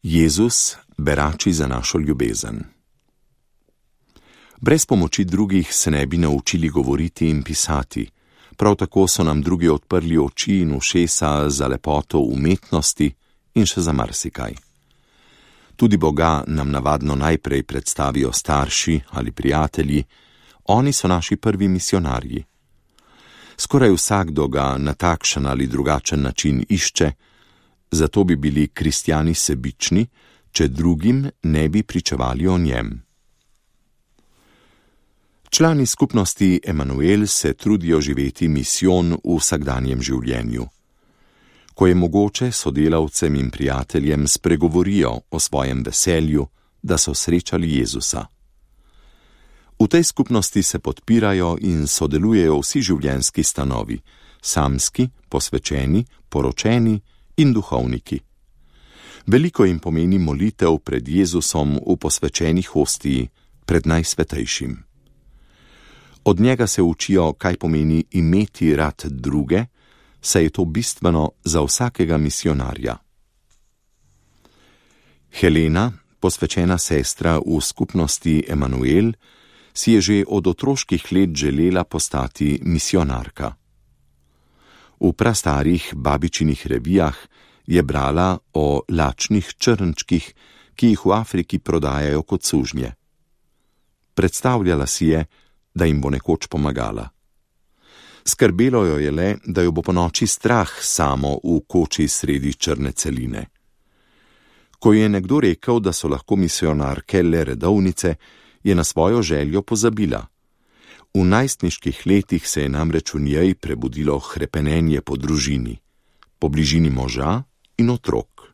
Jezus berači za našo ljubezen. Brez pomoči drugih se ne bi naučili govoriti in pisati, prav tako so nam drugi odprli oči in ušesa za lepoto umetnosti in še za marsikaj. Tudi Boga nam navadno najprej predstavijo starši ali prijatelji, oni so naši prvi misionarji. Skoraj vsakdo ga na takšen ali drugačen način išče, zato bi bili kristjani sebični, če drugim ne bi pričevali o njem. Člani skupnosti Emanuel se trudijo živeti misijon v vsakdanjem življenju. Ko je mogoče, sodelavcem in prijateljem spregovorijo o svojem veselju, da so srečali Jezusa. V tej skupnosti se podpirajo in sodelujejo vsi življenjski stanovi, samski, posvečeni, poročeni in duhovniki. Veliko jim pomeni molitev pred Jezusom v posvečeni hostiji, pred najsvetejšim. Od njega se učijo, kaj pomeni imeti rad druge, saj je to bistveno za vsakega misionarja. Helena, posvečena sestra v skupnosti Emanuel, si je že od otroških let želela postati misionarka. V prastarih babičinih revijah je brala o lačnih črnčkih, ki jih v Afriki prodajajo kot sužnje. Predstavljala si je, da jim bo nekoč pomagala. Skrbelo jo je le, da jo bo ponoči strah samo v koči sredi črne celine. Ko je nekdo rekel, da so lahko misionarke le redovnice, je na svojo željo pozabila. V najstniških letih se je namreč v njej prebudilo hrepenenje po družini, po bližini moža in otrok.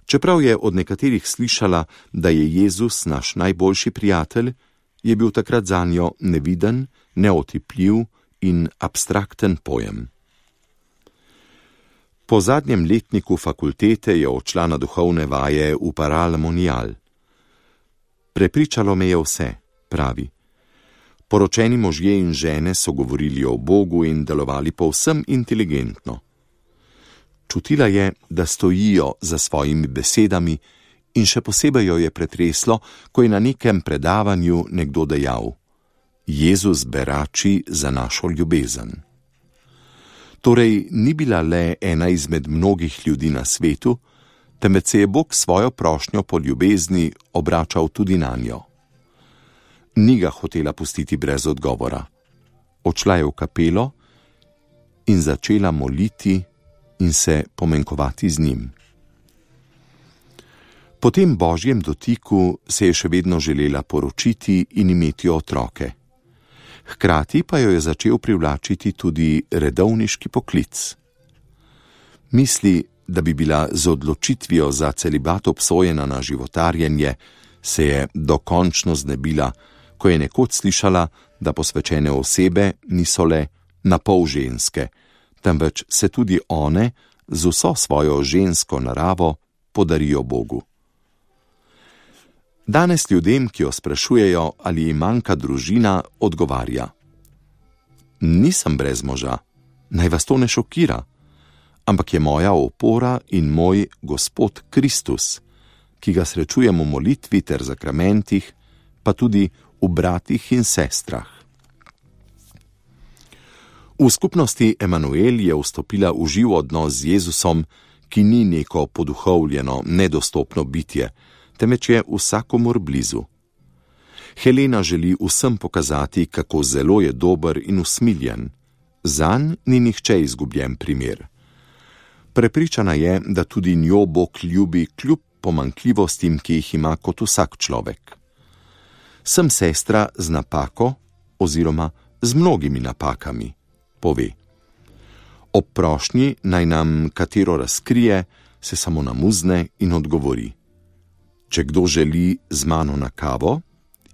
Čeprav je od nekaterih slišala, da je Jezus naš najboljši prijatelj, je bil takrat zanjo neviden, neotipljiv in abstrakten pojem. Po zadnjem letniku fakultete je odšla na duhovne vaje v Paral Monial. Prepričalo me je vse, pravi. Poročeni možje in žene so govorili o Bogu in delovali povsem inteligentno. Čutila je, da stojijo za svojimi besedami in še posebej jo je pretreslo, ko je na nekem predavanju nekdo dejal: Jezus berači za našo ljubezen. Torej ni bila le ena izmed mnogih ljudi na svetu, temveč se je Bog svojo prošnjo po ljubezni obračal tudi nanjo. Ni ga hotela pustiti brez odgovora. Odšla je v kapelo in začela moliti in se pomenkovati z njim. Po tem božjem dotiku se je še vedno želela poročiti in imeti otroke. Hkrati pa jo je začel privlačiti tudi redovniški poklic. Misli, da bi bila z odločitvijo za celibat obsojena na životarjenje, se je dokončno znebila, ko je nekoč slišala, da posvečene osebe niso le napol ženske, temveč se tudi one z vso svojo žensko naravo podarijo Bogu. Danes ljudem, ki jo sprašujejo, ali jim manjka družina, odgovarja: Nisem brez moža, naj vas to ne šokira, ampak je moja opora in moj Gospod Kristus, ki ga srečujem v molitvi ter zakramentih, pa tudi v bratih in sestrah. V skupnosti Emanuel je vstopila v živ odnos z Jezusom, ki ni neko poduhovljeno, nedostopno bitje, temveč je vsakomur blizu. Helena želi vsem pokazati, kako zelo je dober in usmiljen. Zanj ni nihče izgubljen primer. Prepričana je, da tudi njo Bog ljubi kljub pomanjkljivostim, ki jih ima kot vsak človek. Sem sestra z napako oziroma z mnogimi napakami, pove. Ob prošnji naj nam katero razkrije, se samo namuzne in odgovori: Če kdo želi z mano na kavo,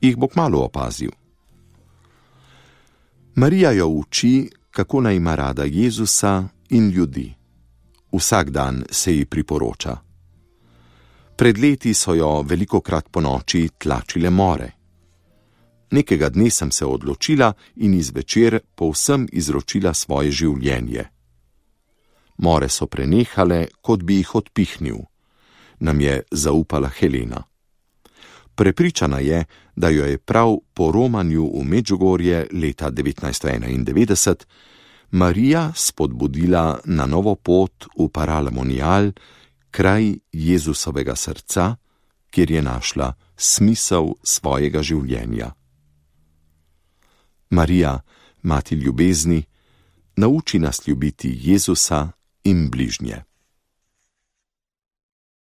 jih bo kmalu opazil. Marija jo uči, kako naj ima rada Jezusa in ljudi. Vsak dan se ji priporoča. Pred leti so jo velikokrat ponoči tlačile more. Nekega dne sem se odločila in izvečer povsem izročila svoje življenje. More so prenehale, kot bi jih odpihnil. nam je zaupala Helena. Prepričana je, da jo je prav po romanju v Medžugorje leta 1991 Marija spodbudila na novo pot v Paralamonial, kraj Jezusovega srca, kjer je našla smisel svojega življenja. Marija, mati ljubezni, nauči nas ljubiti Jezusa in bližnje.